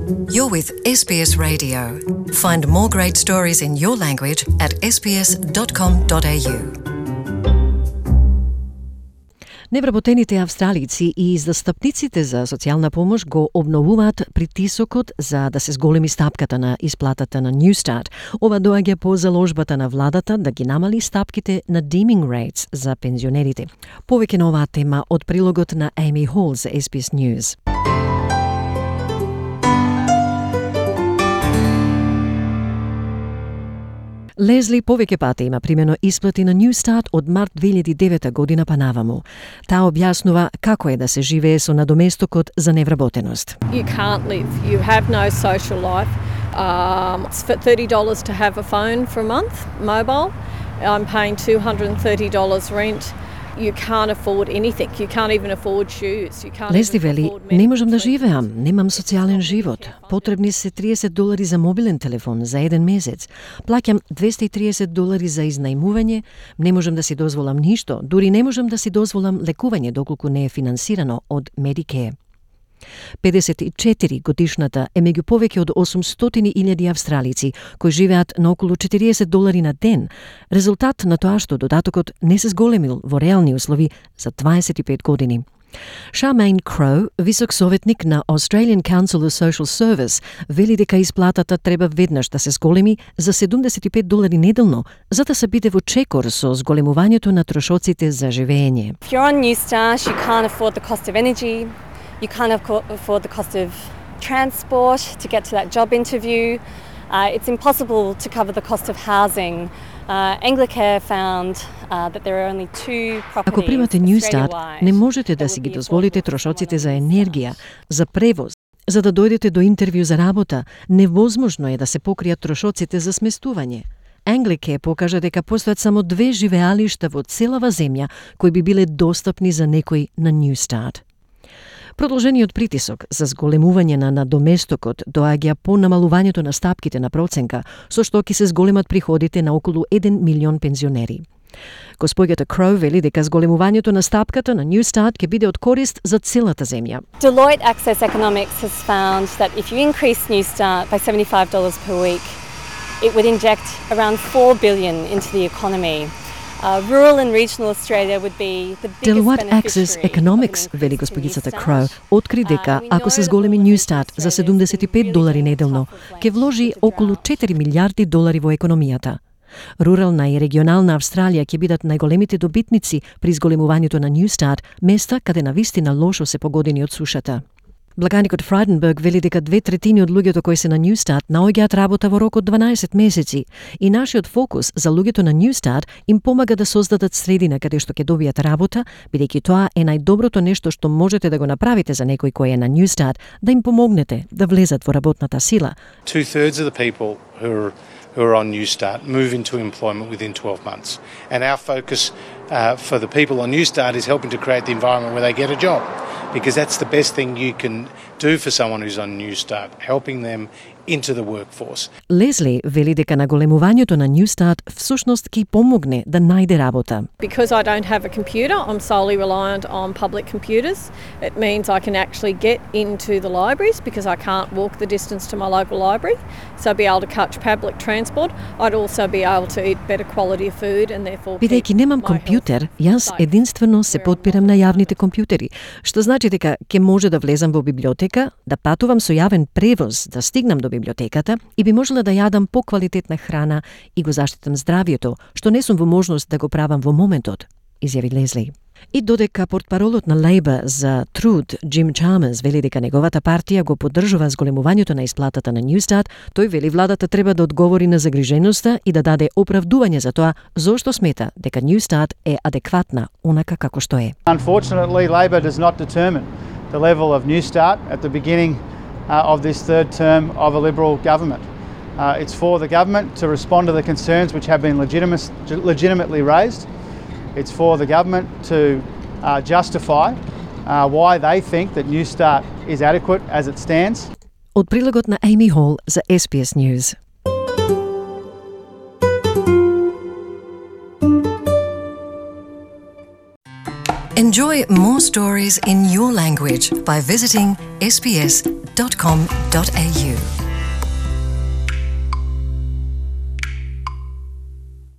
You're with SBS Radio. Find more great stories in your language at sbs.com.au. Невработените австралици и застапниците за социјална помош го обновуваат притисокот за да се зголеми стапката на исплатата на Newstart. Ова доаѓа по заложбата на владата да ги намали стапките на deeming rates за пензионерите. Повеќе на оваа тема од прилогот на Amy Hall за SBS News. Лезли повеќе пати има примено исплати на Newstart од март 2009 година па наваму. Таа објаснува како е да се живее со надоместокот за невработеност. You can't live. You have no social life. It's for $30 to have a phone for a month, mobile. I'm paying $230 rent. You can't afford anything. You can't even afford shoes. You can't Лезли вели, не можам да живеам, немам социјален живот. Потребни се $30 за мобилен телефон за еден месец. Плаќам $230 за изнајмување, не можам да си дозволам ништо, дури не можам да си дозволам лекување доколку не е финансирано од Medicare. 54 годишната е меѓу повеќе од 800.000 австралици кои живеат на околу $40 на ден, резултат на тоа што додатокот не се зголемил во реални услови за 25 години. Charmaine Crow, висок советник на Australian Council of Social Service, вели дека исплатата треба веднаш да се зголеми за $75 неделно, за да се биде во чекор со зголемувањето на трошоците за живење. If you're on Newstart, you can't afford the cost of energy. You can't afford the cost of transport to get to that job interview. It's impossible to cover the cost of housing. Anglicare found that there are only two properties. Ако примате Newstart, не можете да си ги дозволите трошоците за енергија, за превоз, за да дојдете до интервју за работа. Невозможно е да се покријат трошоците за сместување. Anglicare покажа дека постојат само 2 живеалишта во целава земја кои би биле достапни за некој на Newstart. Продолжениот притисок за зголемување на надоместокот доаѓа по намалувањето на стапките на проценка, со што ќе се зголемат приходите на околу 1 милион пензионери. Госпоѓата Кроу вели дека зголемувањето на стапката на Newstart ќе биде од корист за целата земја. Deloitte Access Economics has found that if you increase Newstart by $75 per week, it would inject around $4 billion into the economy. Rural and regional Australia would be the biggest Deloitte Access Economics, вели господицата Кроу, откри дека ако се зголеми Newstart за $75 неделно, ќе вложи околу $4 милиарди во економијата. Рурална и регионална Австралија ќе бидат најголемите добитници при зголемувањето на Newstart, места каде навистина лошо се погодени од сушата. Благаникот Фрайденберг вели дека 2/3 од луѓето кои се на Newstart наоѓаат работа во рок од 12 месеци и нашиот фокус за луѓето на Newstart им помага да создадат средина каде што ќе добијат работа, бидејќи тоа е најдоброто нешто што можете да го направите за некој кој е на Newstart, да им помогнете да влезат во работната сила. 2/3 of the people who are on Newstart move into employment within 12 months. And our focus for the people on Newstart is helping to create the environment where they get a job, because that's the best thing you can do for someone who's on Newstart, helping them into the workforce. Лезли вели дека наголемувањето на Newstart всушност ќе помогне да најде работа. Because I don't have a computer, I'm solely reliant on public computers. It means I can actually get into the libraries because I can't walk the distance to my local library. So I'd be able to catch public transport. I'd also be able to eat better quality of food and therefore Бидејќи немам компјутер, јас единствено се подпирам на јавните компјутери, што значи дека ќе може да влезам во библиотека, да патувам со јавен превоз, да стигнам до библиотеката и би можела да јадам поквалитетна храна и го заштитам здравието, што не сум во можност да го правам во моментот, изјави Лезли. И додека портпаролот на Лейбор за труд Джим Чалмерс вели дека неговата партија го поддржува зголемувањето на исплатата на Newstart, тој вели владата треба да одговори на загриженоста и да даде оправдување за тоа зошто смета дека Newstart е адекватна онака како што е. Unfortunately, Labor does not determine the level of Newstart at the beginning of this third term of a Liberal government. It's for the government to respond to the concerns which have been legitimately raised. It's for the government to justify why they think that Newstart is adequate as it stands. Од прилогот на Amy Hall за SBS News. Enjoy more stories in your language by visiting sbs.com.au. sbs.com.au.